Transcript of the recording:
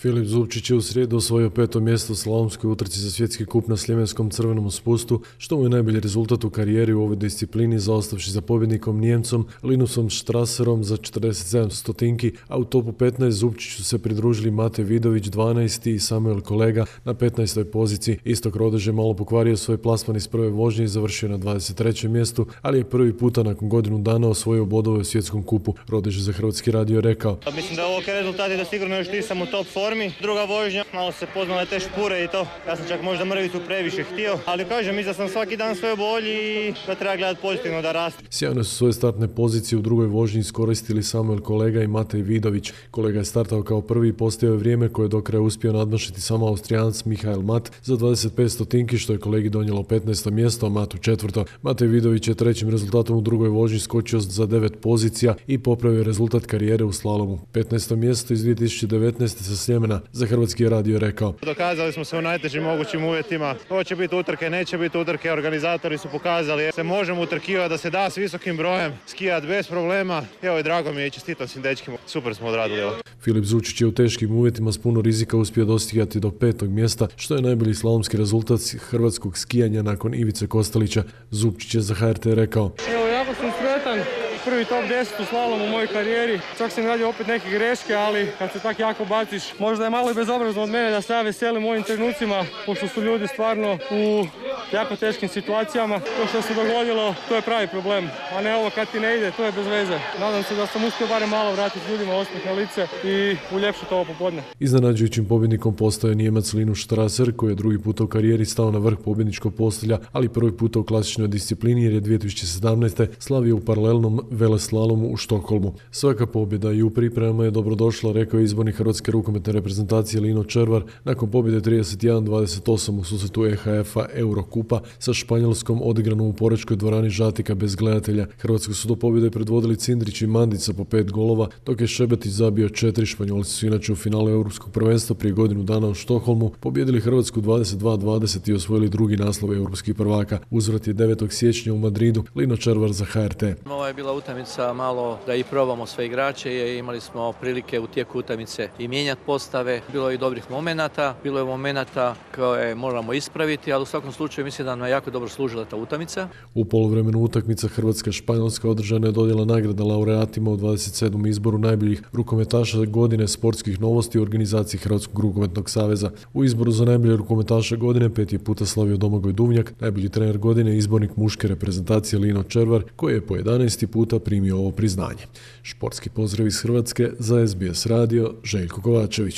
Filip Zupčić je u srijedu osvojio 5. mjesto u slalomskoj utrci za svjetski kup na Sljemenskom crvenom spustu, što mu je najbolji rezultat u karijeri u ovoj disciplini, zaostavši za pobjednikom Nijemcom Linusom Strasserom za 47 stotinki, a u topu 15 Zupčiću se pridružili Mate Vidović 12. i Samuel Kolega na 15. poziciji. Istok Rodež je malo pokvario svoj plasman iz prve vožnje i završio na 23. mjestu, ali je prvi puta nakon godinu dana osvojio bodove u svjetskom kupu. Rodež je za Hrvatski radio rekao: Mislim da je ovo rezultat i da sigurno još nisam u top formi. Druga vožnja, malo se poznale te špure i to. Ja sam čak možda mrvicu previše htio, ali kažem, mislim da sam svaki dan sve bolji i da treba gledati pozitivno da raste. Sjajno su svoje startne pozicije u drugoj vožnji iskoristili Samuel Kolega i Matej Vidović. Kolega je startao kao prvi i postojao vrijeme koje je do kraja uspio nadmašiti samo Austrijanac Michael Mat za 25 stotinki, što je kolegi donijelo 15. mjesto, a Matu 4. Matej Vidović je trećim rezultatom u drugoj vožnji skočio za 9 pozicija i popravio rezultat karijere u slalomu. 15. mjesto iz 2019. sa Sljemena za Hrvatski radio rekao: Dokazali smo se u najtežim mogućim uvjetima. Hoće biti utrke, neće biti utrke, organizatori su pokazali se možemo utrkivati, da se da s visokim brojem, skijati bez problema. Evo i drago mi je i čestitam svim dečkima. Super smo odradili ovo. Filip Zupčić je u teškim uvjetima s puno rizika uspio dostigati do 5. mjesta, što je najbolji slalomski rezultat hrvatskog skijanja nakon Ivice Kostelića. Zupčić je za HRT rekao: Evo, jako sam sretan. Prvi top 10 u slalomu u mojoj karijeri. Čak sam radio opet neke greške, ali kad se tak jako baciš, možda je malo i bezobrazno od mene da se ja veselim u ovim trenucima, pošto su ljudi stvarno u jako teškim situacijama. To što se dogodilo, to je pravi problem, a ne ovo kad ti ne ide, to je bez veze. Nadam se da sam uspio barem malo vratiti ljudima osmijeh na lice i uljepšati ovo popodne. Iznenađujućim pobjednikom postaje Nijemac Linus Strasser, koji je drugi puta u karijeri stao na vrh pobjedničkog postolja, ali prvi puta u klasičnoj disciplini jer je 2017. slavio u paralelnom veleslalomu u Štokholmu. Svaka pobjeda i u pripremama je dobrodošla, rekao je izbornik hrvatske rukometne reprezentacije Lino Červar nakon pobjede 31-28 u susretu EHF-a Eurokupa sa Španjolskom odigranom u Porečkoj dvorani Žatika bez gledatelja. Hrvatsku su do pobjede predvodili Cindrić i Mandica po 5 golova, dok je Šebetić zabio 4. Španjolci su inače u finalu Europskog prvenstva prije godinu dana u Štokholmu pobjedili Hrvatsku 22-20 i osvojili drugi naslov europskih prvaka. Uzvrat je 9. siječnja u Madridu. Lino Červar za HRT. Ovo je bila utakmica malo da i probamo sve igrače i imali smo prilike u tijeku utakmice i mijenjati postave. Bilo je i dobrih momenata, bilo je momenata koje moramo ispraviti, ali u svakom slučaju mislim da nam je jako dobro služila ta utakmica. U poluvremenu utakmica Hrvatska-Španjolska održana je dodjela nagrada laureatima u 27. izboru najboljih rukometaša godine sportskih novosti u organizaciji Hrvatskog rukometnog saveza. U izboru za najbolje rukometaša godine 5. puta slavio Domagoj Duvnjak, najbolji trener godine izbornik muške reprezentacije Lino Červar, koji je po 11. puta primio ovo priznanje. Športski pozdrav iz Hrvatske za SBS radio, Željko Kovačević.